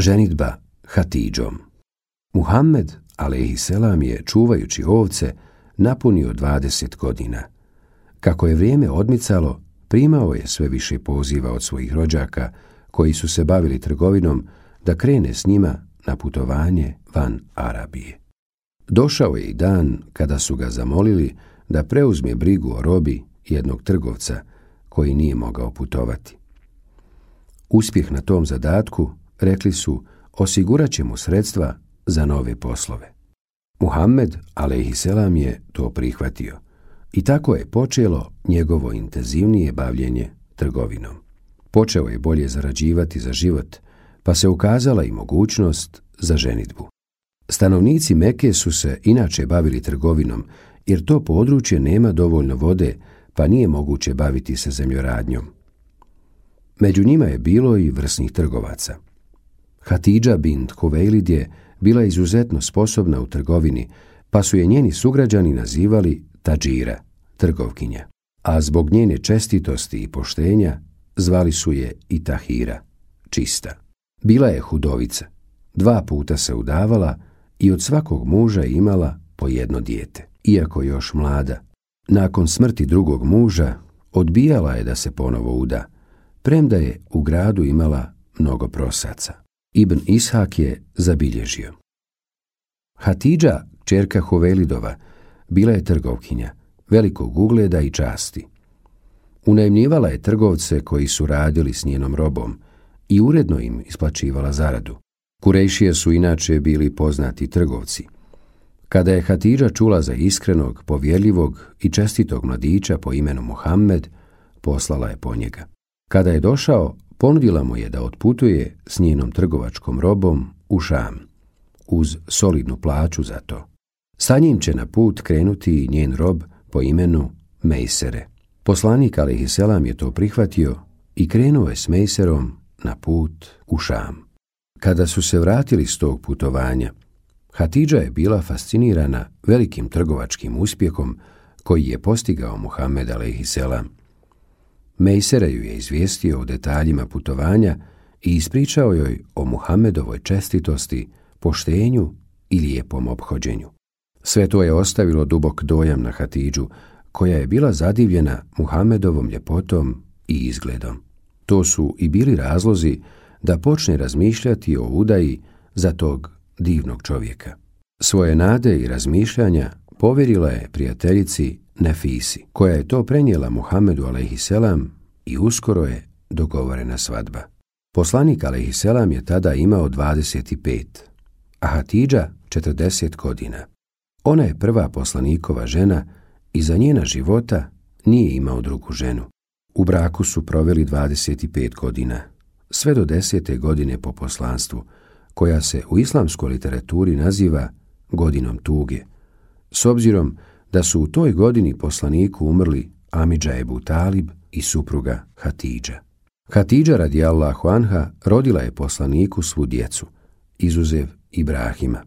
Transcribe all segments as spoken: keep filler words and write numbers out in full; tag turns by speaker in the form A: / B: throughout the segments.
A: Ženidba Hatidžom. Muhammed alejhiselam je, čuvajući ovce, napunio dvadeset godina. Kako je vrijeme odmicalo, primao je sve više poziva od svojih rođaka, koji su se bavili trgovinom, da krene s njima na putovanje van Arabije. Došao je i dan kada su ga zamolili da preuzme brigu o robi jednog trgovca koji nije mogao putovati. Uspjeh na tom zadatku, rekli su, osigurat će mu sredstva za nove poslove. Muhammed alejhiselam je to prihvatio i tako je počelo njegovo intenzivnije bavljenje trgovinom. Počeo je bolje zarađivati za život, pa se ukazala i mogućnost za ženidbu. Stanovnici Mekke su se inače bavili trgovinom, jer to područje nema dovoljno vode, pa nije moguće baviti se zemljoradnjom. Među njima je bilo i vrsnih trgovaca. Hatidža bint Huvejlid je bila izuzetno sposobna u trgovini, pa su je njeni sugrađani nazivali Tadžira, trgovkinja, a zbog njene čestitosti i poštenja zvali su je i Tahira, čista. Bila je hudovica, dva puta se udavala i od svakog muža imala po jedno dijete. Iako još mlada, nakon smrti drugog muža odbijala je da se ponovo uda, premda je u gradu imala mnogo prosaca. Ibn Ishak je zabilježio: Hatidža, kćerka Huvejlidova, bila je trgovkinja, velikog ugleda i časti. Unajmljivala je trgovce koji su radili s njenom robom i uredno im isplaćivala zaradu. Kurejšije su inače bili poznati trgovci. Kada je Hatidža čula za iskrenog, povjerljivog i čestitog mladića po imenu Muhammed, poslala je po njega. Kada je došao, ponudila mu je da otputuje s njenom trgovačkom robom u Šam, uz solidnu plaću za to. Sa njim će na put krenuti njen rob po imenu Mejsere. Poslanik alejhiselam je to prihvatio i krenuo je s Mejserom na put u Šam. Kada su se vratili s tog putovanja, Hatidža je bila fascinirana velikim trgovačkim uspjehom koji je postigao Muhammed alejhiselam. Mejsere ju je izvijestio o detaljima putovanja i ispričao joj o Muhammedovoj čestitosti, poštenju i lijepom ophođenju. Sve to je ostavilo dubok dojam na Hatidžu, koja je bila zadivljena Muhammedovom ljepotom i izgledom. To su i bili razlozi da počne razmišljati o udaji za tog divnog čovjeka. Svoje nade i razmišljanja povjerila je prijateljici Nefisi, koja je to prenijela Muhammedu alejhiselam i uskoro je dogovorena svadba. Poslanik alejhiselam je tada imao dvadeset pet, a Hatidža četrdeset godina. Ona je prva poslanikova žena i za njena života nije imao drugu ženu. U braku su proveli dvadeset pet godina, sve do desete godine po poslanstvu, koja se u islamskoj literaturi naziva godinom tuge, s obzirom da su u toj godini poslaniku umrli Amidža Ebu Talib i supruga Hatidža. Hatidža radijallahu anha rodila je poslaniku svu djecu, izuzev Ibrahima.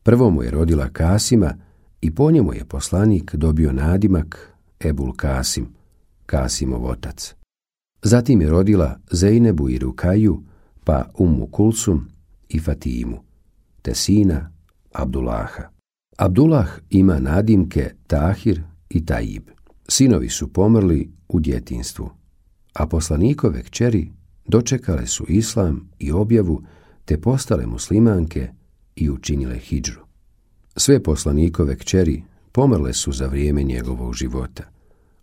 A: Prvo mu je rodila Kasima i po njemu je poslanik dobio nadimak Ebul Kasim, Kasimov otac. Zatim je rodila Zejnebu i Rukaju, pa Ummu Kulsum i Fatimu, te sina Abdullaha. Abdullah ima nadimke Tahir i Tajib. Sinovi su pomrli u djetinjstvu, a poslanikove kćeri dočekale su islam i objavu, te postale muslimanke i učinile hidžru. Sve poslanikove kćeri pomrle su za vrijeme njegovog života,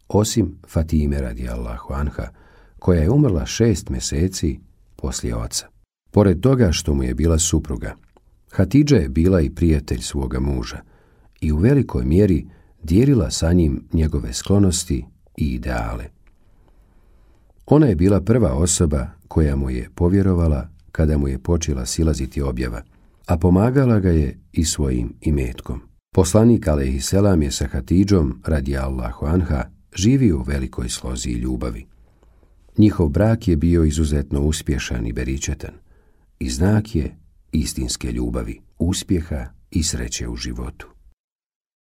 A: osim Fatime radijallahu anha, koja je umrla šest mjeseci poslije oca. Pored toga što mu je bila supruga, Hatidža je bila i prijatelj svoga muža i u velikoj mjeri dijelila sa njim njegove sklonosti i ideale. Ona je bila prva osoba koja mu je povjerovala kada mu je počela silaziti objava, a pomagala ga je i svojim imetkom. Poslanik alejhiselam je sa Hatidžom radijallahu anha živio u velikoj slozi i ljubavi. Njihov brak je bio izuzetno uspješan i beričetan i znak je istinske ljubavi, uspjeha i sreće u životu.